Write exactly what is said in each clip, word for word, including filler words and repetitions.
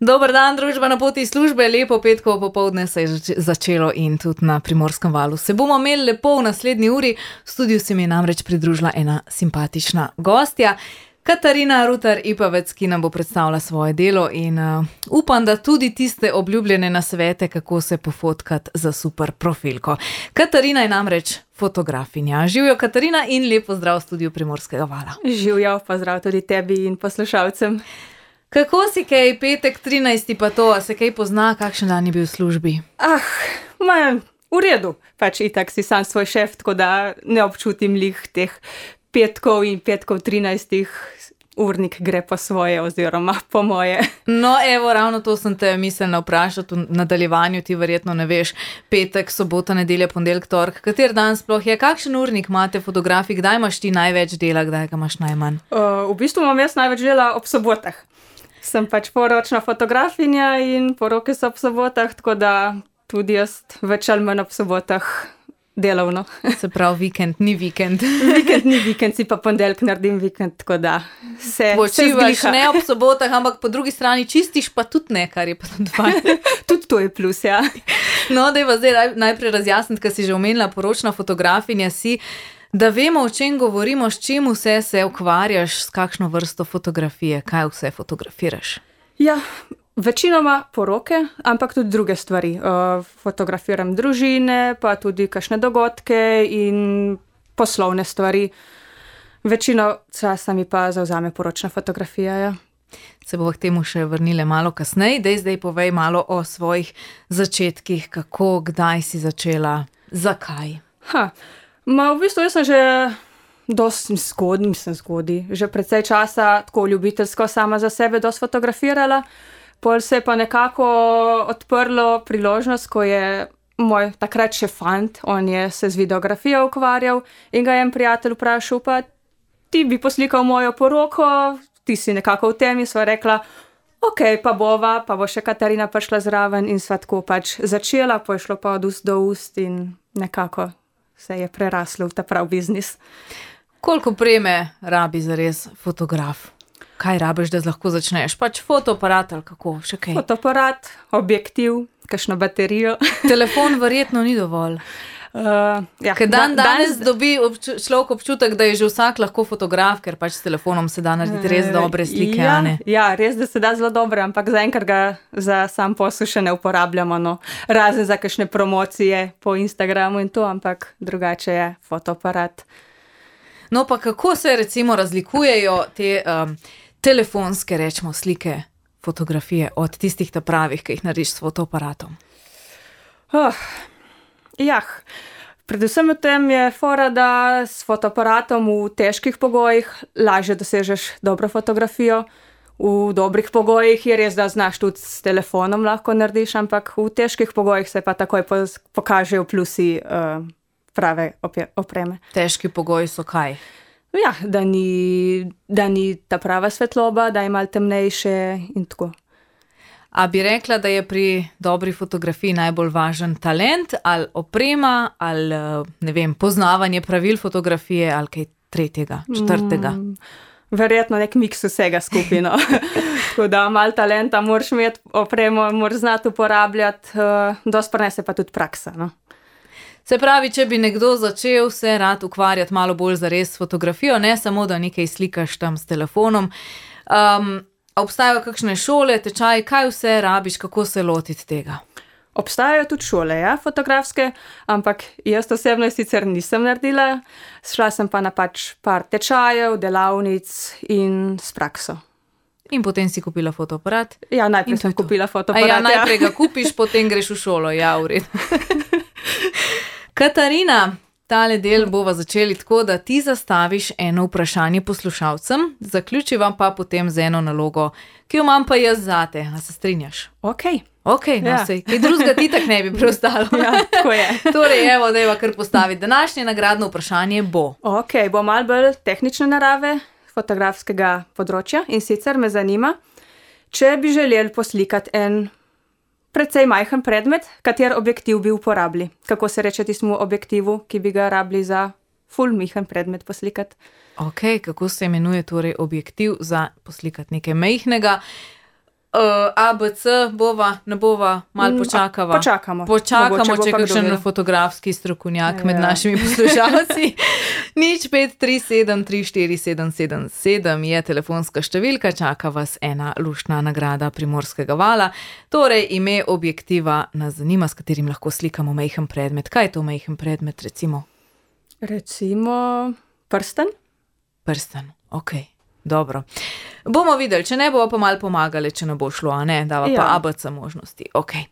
Dober dan, družba na poti službe, lepo petkovo popoldne se je začelo in tudi na Primorskem valu. Se bomo imeli lepo v naslednji uri, v studiu se mi je namreč pridružila ena simpatična gostja, Katarina Rutar-Ipavec, ki nam bo predstavila svoje delo in uh, upam, da tudi tiste obljubljene nasvete, kako se pofotkati za super profilko. Katarina je namreč fotografinja. Živjo Katarina in lepo zdrav v studiu Primorskega vala. Živjo, pozdrav tudi tebi in poslušalcem. Kako si kaj, petek trinajsti pa to, a se kaj pozna, kakšen dan je bil v službi? Ah, ma, v redu, pač itak si sam svoj šef, tako da ne občutim lih teh petkov in petkov trinajstih, urnik gre po svoje oziroma po moje. No evo, ravno to sem te mislila vprašati v nadaljevanju, ti verjetno ne veš, petek, sobota, nedelja, ponedeljek, torek, kater dan sploh je, kakšen urnik imate fotografi, kdaj imaš ti največ dela, kdaj ga imaš najmanj? Uh, v bistvu imam jaz največ dela ob sobotah. Sem pač poročna fotografinja in poroke so ob sobotah, tako da tudi jaz več ali manj ob sobotah delovno. Se pravi, vikend ni vikend. Vikend ni vikend, si pa ponedeljek naredim vikend, tako da se počivaš ne ob sobotah, ampak po drugi strani čistiš pa tudi ne, kar je pa tudi fajn. Tudi to je plus, ja. No, dajva zdaj najprej razjasniti, ker si že omenila, poročna fotografinja si, da vemo, o čem govorimo, s čim vse se ukvarjaš, s kakšno vrsto fotografije, kaj vse fotografiraš? Ja, večinoma poroke, ampak tudi druge stvari. Uh, fotografiram družine, pa tudi kakšne dogodke in poslovne stvari. Večino časa mi pa zavzame poročna fotografija, ja. Se bomo k temu še vrnile malo kasneje. Dej zdaj povej malo o svojih začetkih, kako, kdaj si začela, zakaj? Ha, ma v bistvu jaz sem že dosti zgodnji, mislim zgodnji, že precej časa tako ljubiteljsko sama za sebe dosti fotografirala. Pol se je pa nekako odprlo priložnost, ko je moj takrat še fant, on je se z videografijo ukvarjal in ga je en prijatelj vprašal, pa ti bi poslikal mojo poroko, ti si nekako v temi, sva rekla, ok, pa bova, pa bo še Katarina prišla zraven in sva tako pač začela, pa je šlo pa od ust do ust in nekako se je preraslo v ta prav biznis. Koliko opreme rabi zares fotograf? Kaj rabiš, da lahko začneš? Pač fotoaparat ali kako? Še kaj? Fotoaparat, objektiv, kakšno baterijo. Telefon verjetno ni dovolj. Uh, ja, ker dan da, danes danes dobi obču, človek občutek, da je že vsak lahko fotograf, ker pač s telefonom se da narediti res dobre slike. Ja, ne? ja, res, da se da zelo dobre, ampak zaenkrat ga za sam posel še ne uporabljamo. No. Razen za kakšne promocije po Instagramu in to, ampak drugače je fotoaparat. No pa kako se recimo razlikujejo te um, telefonske, rečemo, slike, fotografije od tistih ta pravih, ki jih narediš s fotoaparatom? Oh, jah, predvsem v tem je fora, da s fotoaparatom v težkih pogojih lažje dosežeš dobro fotografijo. V dobrih pogojih je res, da znaš tudi s telefonom lahko narediš, ampak v težkih pogojih se pa takoj pokažejo plusi uh, prave opreme. Težki pogoji so kaj? Ja, da ni, da ni ta prava svetloba, da je malo temnejše in tako. A bi rekla, da je pri dobri fotografiji najbolj važen talent ali oprema ali, ne vem, poznavanje pravil fotografije ali kaj tretjega, četrtega? Mm, verjetno nek miks vsega skupino. Tako da malo talenta moraš imeti, opremo moraš znati uporabljati, uh, dosti prinese pa tudi praksa, no. Se pravi, če bi nekdo začel se rad ukvarjati malo bolj zares s fotografijo, ne samo, da nekaj slikaš tam s telefonom, um, obstajajo kakšne šole, tečaji, kaj vse rabiš, kako se lotiti tega? Obstajajo tudi šole, ja, fotografske, ampak jaz osebno sicer nisem naredila, šla sem pa na pač par tečajev, delavnic in s prakso. In potem si kupila fotoaparat? Ja, najprej sem kupila fotoaparat. A ja, najprej ga kupiš, potem greš v šolo, ja, v redu. Katarina, tale del bova začeli tako, da ti zastaviš eno vprašanje poslušalcem, zaključivam pa potem z eno nalogo, ki jo imam pa jaz zate. A se strinjaš? Ok. Ok, no ja. Sej, kaj drugega ti tak ne bi preostalo. Ja, tako je. Torej, evo, dajva kar postaviti. Današnje nagradno vprašanje bo. Ok, bo malo bolj tehnične narave fotografskega področja in sicer me zanima, če bi želeli poslikati en precej majhen predmet, kater objektiv bi uporabili. Kako se reče tistemu objektivu, ki bi ga rabili za ful majhen predmet poslikati? Ok, kako se imenuje torej objektiv za poslikati nekaj majhnega? Uh, A, B, C, bova, ne bova, malo počakava. A, počakamo. Počakamo, če je kakšen fotografski strokovnjak ja. med našimi poslušalci. Nič pet tri sedem tri štiri sedem sedem sedem je telefonska številka, čaka vas ena luštna nagrada Primorskega vala. Torej, ime objektiva nas zanima, s katerim lahko slikamo majhen predmet. Kaj je to majhen predmet, recimo? Recimo prsten. Prsten, okej. Okay. Dobro. Bomo videli, če ne bo pa malo pomagali, če ne bo šlo, a ne, dava ja. pa A B C možnosti. Okay.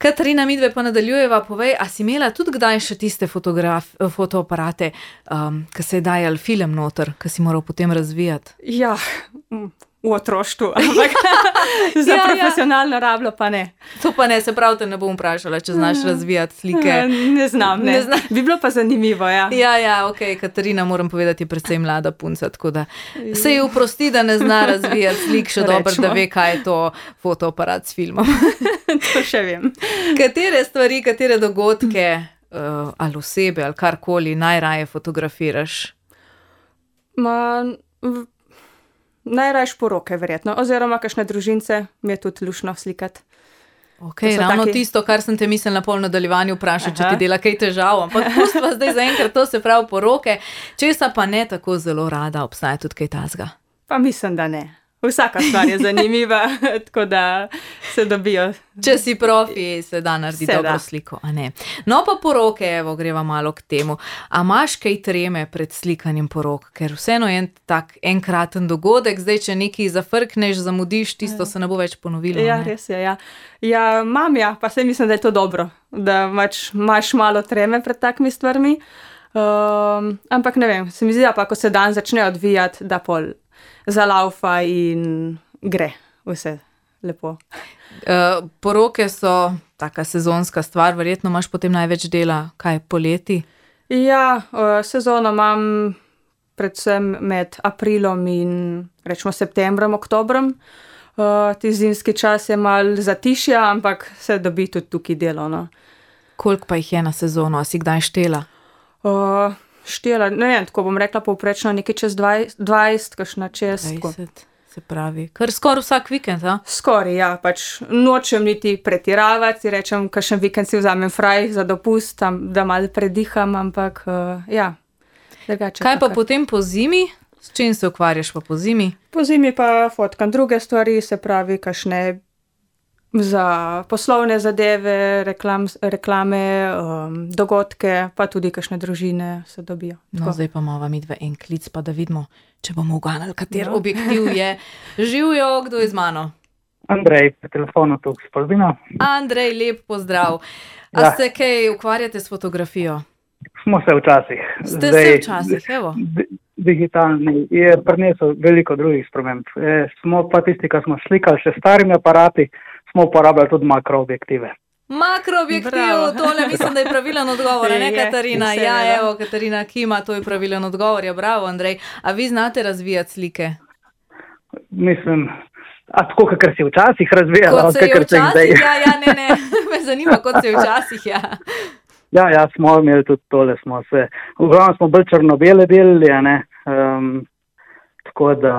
Katarina, midve pa nadaljujeva, povej, a si imela tudi kdaj še tiste fotoaparate, um, ki se je dajal film noter, ki si moral potem razvijati? Ja, v otroštvu, ampak za ja, profesionalno ja. rablo pa ne. To pa ne, se prav te ne bom vprašala, če znaš razvijati slike. Ne znam, ne. ne znam. Bi bilo pa zanimivo, ja. Ja, ja, ok, Katarina, moram povedati, je predvsem mlada punca, tako da se ji oprosti, da ne zna razvijati slik, še dobro, da ve, kaj je to fotoaparat s filmom. To še vem. Katere stvari, katere dogodke uh, ali osebe ali karkoli najraje fotografiraš? Ma... V... Najrajš poroke, verjetno, oziroma kakšne družince mi je tudi lušno slikati. Ok, ravno taki... tisto, kar sem te mislila na pol nadaljevanju vprašati, če ti dela kaj težav, ampak pustva zdaj zaenkrat, to se pravi poroke, česa pa ne tako zelo rada, obstaja tudi kaj tazga? Pa mislim, da ne. Vsaka stvar je zanimiva, tako da se dobijo. Če si profi, se da narediti dobro sliko, a ne. No pa poroke, evo, greva malo k temu. A imaš kaj treme pred slikanjem porok? Ker vseeno je en tak enkraten dogodek, zdaj, če nekaj zafrkneš, zamudiš, tisto se ne bo več ponovilo. Ja, ne? Res je, ja. Ja, mam ja, pa se mislim, da je to dobro, da imaš malo treme pred takimi stvarmi. Um, ampak ne vem, se mi zdi, da pa, ko se dan začne odvijati, da pol zalaufa in gre vse lepo. Uh, poroke so taka sezonska stvar, verjetno imaš potem največ dela, kaj poleti? Ja, uh, sezono imam predvsem med aprilom in rečemo septembrom, oktobrom. Uh, ti zimski čas je malo zatišja, ampak se dobi tudi tukaj delo. No. Koliko pa jih je na sezono, a si kdaj štela? Uh, Štela, ne vem, tako bom rekla povprečno nekaj čez dvajset, kakšna čez. dvajset, se pravi, kar skoraj vsak vikend, a? Skoraj, ja, pač nočem niti pretiravati, rečem, kakšen vikend si vzamem fraj za dopust, tam, da malo prediham, ampak uh, ja, drugače. Kaj pa potem po zimi? S čim se ukvarjaš pa po zimi? Po zimi pa fotkam druge stvari, se pravi, kakšne za poslovne zadeve, reklam, reklame, um, dogodke, pa tudi kakšne družine se dobijo. No, tako. Zdaj pa imamo midve en klic, pa da vidimo, če bomo uganali, kater no. objektiv je. Živijo, kdo je z mano? Andrej, po telefonu tukaj s Polbina. Andrej, lep pozdrav. A ja. se kaj ukvarjate s fotografijo? Smo se včasih. Ste Zdaj, se včasih, evo. Digitalni je prinesel veliko drugih sprememb. E, smo pa tisti, ki smo slikali še starimi aparati, smo uporabljali tudi makroobjektive. Makroobjektiv, tole mislim, da je pravilen odgovor, ne Katarina? Je, ja, evo, Katarina Kima, to je pravilen odgovor, ja, bravo, Andrej. A vi znate razvijati slike? Mislim, a tako, kakor si včasih razvijala? Kot se je včasih, ja, ja, ne, ne, me zanima, kot se je včasih, ja. Ja, ja, smo imeli tudi tole, smo se, v glavnem smo bolj črno-bele delili, ne, um, tako da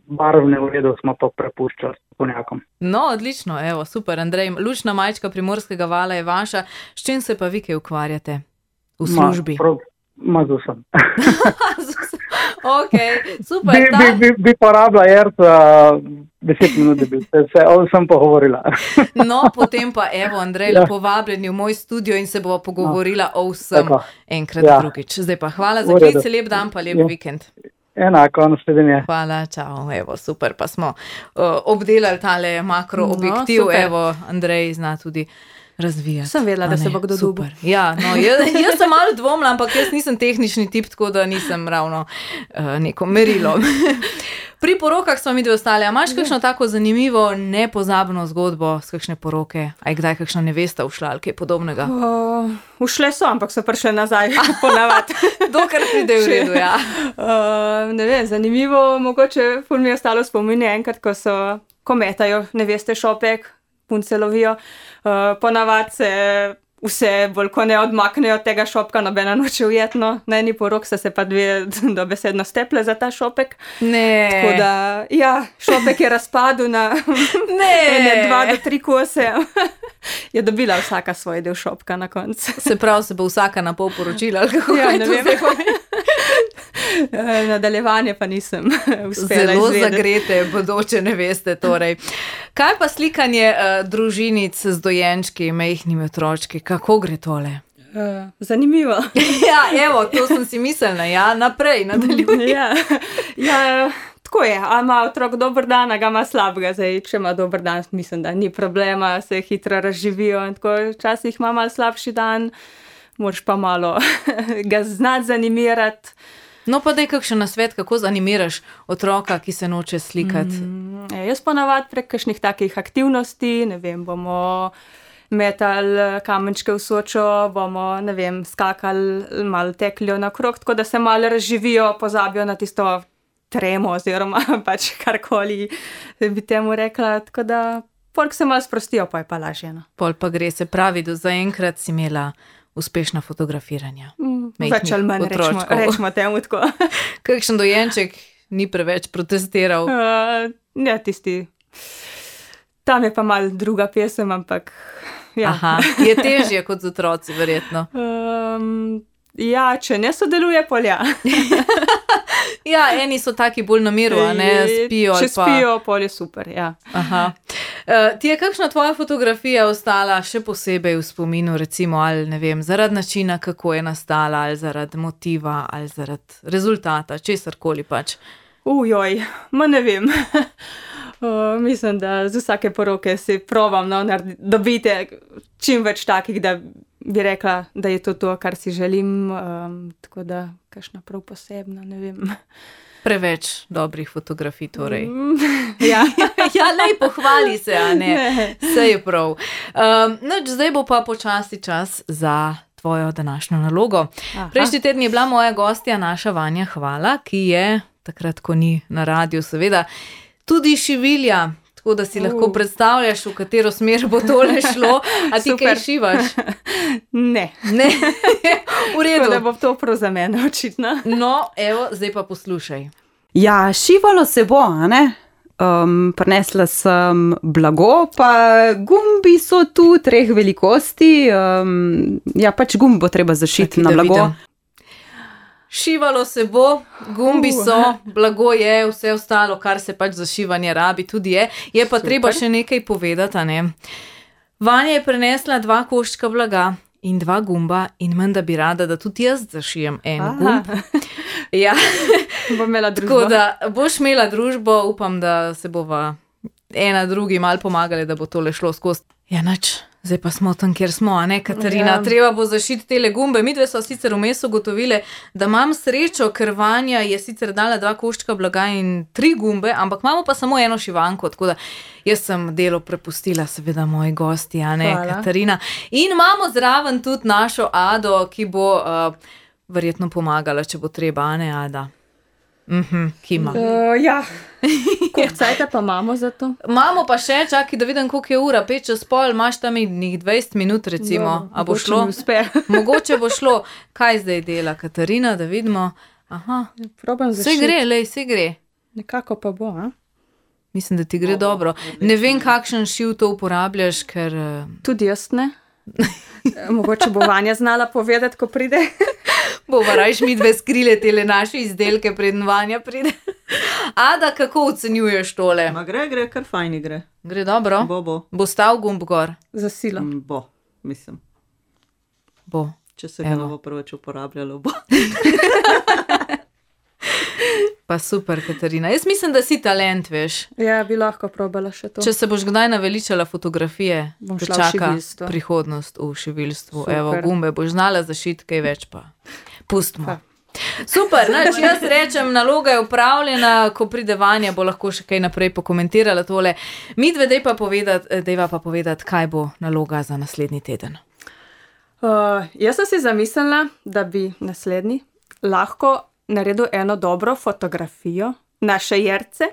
barvne v redu smo pa prepuščali strokovnjakom. No, odlično, evo, super, Andrej. Lučna majčka Primorskega vala je vaša. S čim se pa vi kaj ukvarjate v službi? Ma, ma z vsem. Ok, super. Bi, ta... bi, bi, bi porabila Erca deset minut, da bi se vse, sem pogovorila. No, potem pa evo, Andrej, ja. lepo vabljeni v moj studio in se bova pogovorila no. o vsem Tako. enkrat ja. drugič. Zdaj pa hvala za klic, lep dan pa lep ja. vikend. Enako, naslednje. Hvala, čau, evo, super, pa smo uh, obdelali tale makroobjektiv, no, evo, Andrej zna tudi razvijati. Sem vedela, da se bo kdo dobil. Ja, no, jaz, jaz sem malo dvomila, ampak jaz nisem tehnični tip, tako da nisem ravno uh, neko merilo. Pri porokah smo mi dve ostali, a imaš kakšno tako zanimivo, nepozabno zgodbo z kakšne poroke? A je kdaj kakšna nevesta ušla ali kaj podobnega? Uh, ušle so, ampak so prišle nazaj, ponavadi. Dokar pride v redu, ja. Uh, ne vem, zanimivo, mogoče ful mi je ostalo spominje enkrat, ko so, ko metajo neveste šopek, punce lovijo, uh, ponavadi se vse bolj ko ne odmaknejo tega šopka, nobena noče ujetno. Na eni porok so se pa dve dobesedno steple za ta šopek. Ne. Tako da, ja, šopek je razpadel na ne. dva do tri kose. Je dobila vsaka svoj del šopka na koncu. Se pravi, se bo vsaka na pol poročila, ali kako ja, je ne to vem. zdaj? Nadaljevanje pa nisem uspela Zelo izvedeti. zagrete, bodoče ne veste torej. Kaj pa slikanje uh, družinic z dojenčki, majhnimi otročki, kako gre tole? Uh, zanimivo. Ja, evo, to sem si mislila, ja, naprej, nadaljuj. ja, ja, tako je, a ima otrok dober dan, a ga ima slabega. Zdaj, če ima dober dan, mislim, da ni problema, se hitro razživijo in tako včasih ima malo slabši dan, moraš pa malo ga znati zanimirati. No pa daj kakšen nasvet, kako zanimiraš otroka, ki se noče slikati? Mm, jaz ponavadi prek kakšnih takih aktivnosti, ne vem, bomo metali kamenčke v Sočo, bomo, ne vem, skakali, malo teklijo nakrog, tako da se malo razživijo, pozabijo na tisto tremo oziroma pač karkoli bi temu rekla, tako da polk se malo sprostijo, pa je pa lažje. No. Pol pa gre, se pravi, do zaenkrat si imela uspešna fotografiranja. Mm, več ali manj rečemo, rečemo temu tako. Kakšen dojenček ni preveč protestiral? Uh, ne, tisti. Tam je pa malo druga pesem, ampak ja. Aha, je težje kot z otroci, verjetno. Um, ja, če ne sodeluje, pol ja. Ja, eni so taki bolj na miru, a ne spijo. Če ali pa... spijo, pol je super, ja. Aha. Uh, ti je kakšna tvoja fotografija ostala še posebej v spominu, recimo, ali ne vem, zaradi načina, kako je nastala, ali zaradi motiva, ali zaradi rezultata, česarkoli pač? Ujoj, ma ne vem. Uh, mislim, da z vsake poroke si provam no, dobiti čim več takih, da bi rekla, da je to to, kar si želim. Um, tako da, kakšna prav posebna, ne vem. Preveč dobrih fotografij, torej. Mm, ja, ja, lej, pohvali se, a ne. ne. Vse je prav. Um, noč, zdaj bo pa počasi čas za tvojo današnjo nalogo. Aha. Prejšnji teden je bila moja gostja, naša Vanja Hvala, ki je, takrat, ko ni na radiju, seveda, tudi šivilja, tako da si uh. lahko predstavljaš, v katero smer bo tole šlo. A ti Super. kaj šivaš? Ne. Ne, v redu. Tako da bo to prav za mene, očitno. No, evo, zdaj pa poslušaj. Ja, šivalo se bo, a ne? Um, prinesla sem blago, pa gumbi so tu treh velikosti. Um, ja, pač gumb bo treba zašiti Čakaj, na da blago. vidim. Šivalo se bo, gumbi Uh. so, blago je, vse ostalo, kar se pač za šivanje rabi, tudi je. Je pa Super. treba še nekaj povedati, a ne. Vanja je prenesla dva koščka blaga in dva gumba in menda bi rada, da tudi jaz zašijem en Aha. gumb. Ja, Bom imela družbo. tako da boš imela družbo, upam, da se bova ena drugi malo pomagali, da bo tole šlo skozi. Ja, nič, zdaj pa smo tam, kjer smo, a ne, Katarina? Ja. Treba bo zašiti tele gumbe. Midve so sicer vmes ugotovile, da imam srečo, ker Vanja je sicer dala dva koščka blaga in tri gumbe, ampak imamo pa samo eno šivanko, tako da jaz sem delo prepustila, seveda, moji gosti, a ne, Hvala. Katarina. In imamo zraven tudi našo Ado, ki bo uh, verjetno pomagala, če bo treba, a ne, Ada? Mhm, kima. Uh, ja, koliko cajta pa imamo za to? Imamo pa še, čakaj, da vidim, koliko je ura, pet čez pol, imaš tam nekih dvajset minut, recimo, Dobro, a bo mogoče šlo? mi uspe. Mogoče bo šlo. Kaj zdaj dela Katarina, da vidimo? Aha, Probam vse zašiti. gre, lej, vse gre. Nekako pa bo, a? Mislim, da ti gre dobro. Ne vem, kakšen šiv to uporabljaš, ker... eh, Tudi jaz ne. Mogoče bo Vanja znala povedati, ko pride. Bova rajš mi dve skrile tele naše izdelke, preden Vanja pride. Ada, kako ocenjuješ tole? Ma gre, gre, kar fajni gre. Gre dobro? Bo, bo. Bo stal gumb gor? Za silo. Mm, Bo, mislim. Bo. Če se ga Evo. ne bo preveč uporabljalo, bo. Pa super, Katarina. Jaz mislim, da si talent, veš. Ja, bi lahko probala še to. Če se boš kdaj naveličala fotografije, Bom te šla v čaka šiviljstvo. prihodnost v šiviljstvu. Super. Evo, gumbe boš znala zašiti, kaj več pa. Pustimo. Super, nač, jaz rečem, naloga je upravljena, ko pride Vanja, bo lahko še kaj naprej pokomentirala tole. Midve, dej pa povedati, dejva pa povedati, kaj bo naloga za naslednji teden. Uh, jaz sem si zamislila, da bi naslednji lahko naredil eno dobro fotografijo naše Jerce,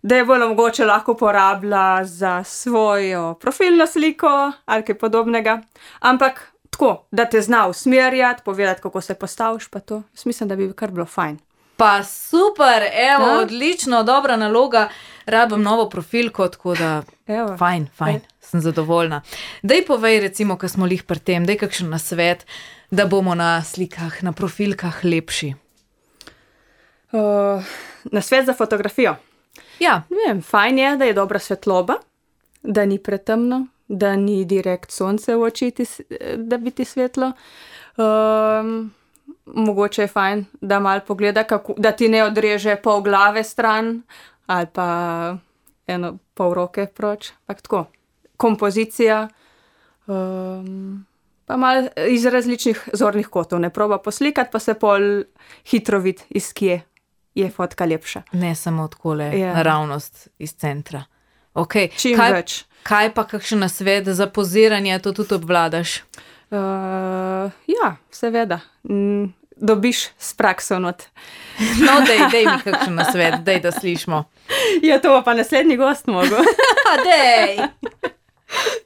da je bolj mogoče lahko uporabila za svojo profilno sliko ali kaj podobnega. Ampak tako, da te zna usmerjati, povedati, kako se postaviš, pa to. Jaz mislim, da bi kar bilo fajn. Pa super, evo, Ja. odlično, dobra naloga, rabim novo profilko, tako da Evo. fajn, fajn, sem zadovoljna. Daj povej, recimo, ko smo lih pri tem, daj kakšen nasvet, da bomo na slikah, na profilkah lepši. Uh, na svet za fotografijo. Ja, Ne vem, fajn je, da je dobra svetloba, da ni pretemno, da ni direkt sonce v oči, ti, s- da bi ti svetlo. Um, mogoče je fajn, da mal pogleda, kako, da ti ne odreže pol glave stran ali pa eno pol roke proč. Pak tako, kompozicija, um, pa mal iz različnih zornih kotov. Ne proba poslikati, pa se pol hitro vidi, iz kje je fotka lepša. ne samo takole, Ja. naravnost iz centra. Okay. Čim kaj, več. kaj pa kakšen nasvet za poziranje, to tudi obvladaš? Uh, ja, seveda. Mm, dobiš s prakso not. No, dej, dej mi kakšen nasvet, dej, da slišimo. Ja, to bo pa naslednji gost mogel. Ha, dej!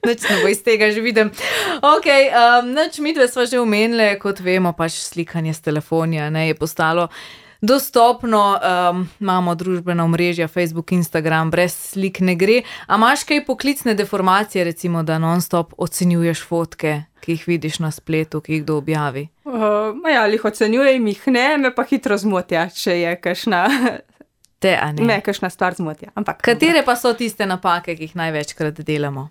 Nič ne bo iz tega že vidim. Ok, um, nič midve sva že omenile, kot vemo, pač slikanje s telefonija, ne, je postalo dostopno, um, imamo družbena omrežja, Facebook, Instagram, brez slik ne gre. A imaš kaj poklicne deformacije, recimo, da non-stop ocenjuješ fotke, ki jih vidiš na spletu, ki jih kdo objavi? Uh, ja, jih ocenjujem, jih ne, me pa hitro zmotja, če je kakšna, Te, a ne? me kakšna stvar zmotja. Ampak, Katere pa so tiste napake, ki jih največkrat delamo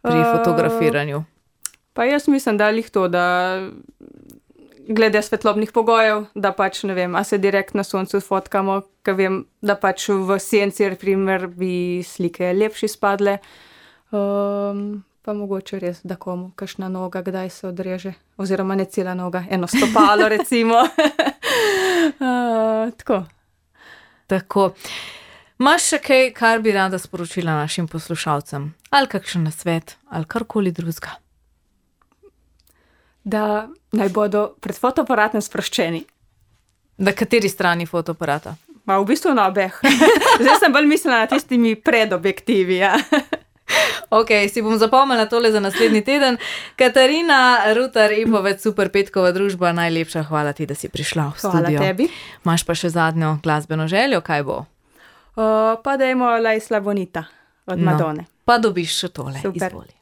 pri Uh, fotografiranju? Pa jaz mislim, da lih to, da glede svetlobnih pogojev, da pač ne vem, a se direkt na soncu fotkamo, ker vem, da pač v senci, primer, bi slike lepši spadle. Um, pa mogoče res, da komu kakšna noga, kdaj se odreže, oziroma ne cela noga, eno stopalo recimo. uh, tako. Tako. Imaš še kaj, kar bi rada sporočila našim poslušalcem? Ali kakšen nasvet, ali karkoli drugega? Da naj bodo pred fotoaparatom sproščeni. Na kateri strani fotoaparata? Ma v bistvu na obeh. Zdaj sem bolj mislila na tistimi predobjektivi. Ja. Ok, si bom zapomnila tole za naslednji teden. Katarina Rutar, Ipovec, Super Petkova družba, najlepša hvala ti, da si prišla v Hvala studio. tebi. Imaš pa še zadnjo glasbeno željo, kaj bo? Uh, pa dajmo La Isla Bonita od No. Madone. Pa dobiš še tole, Super. izvoli.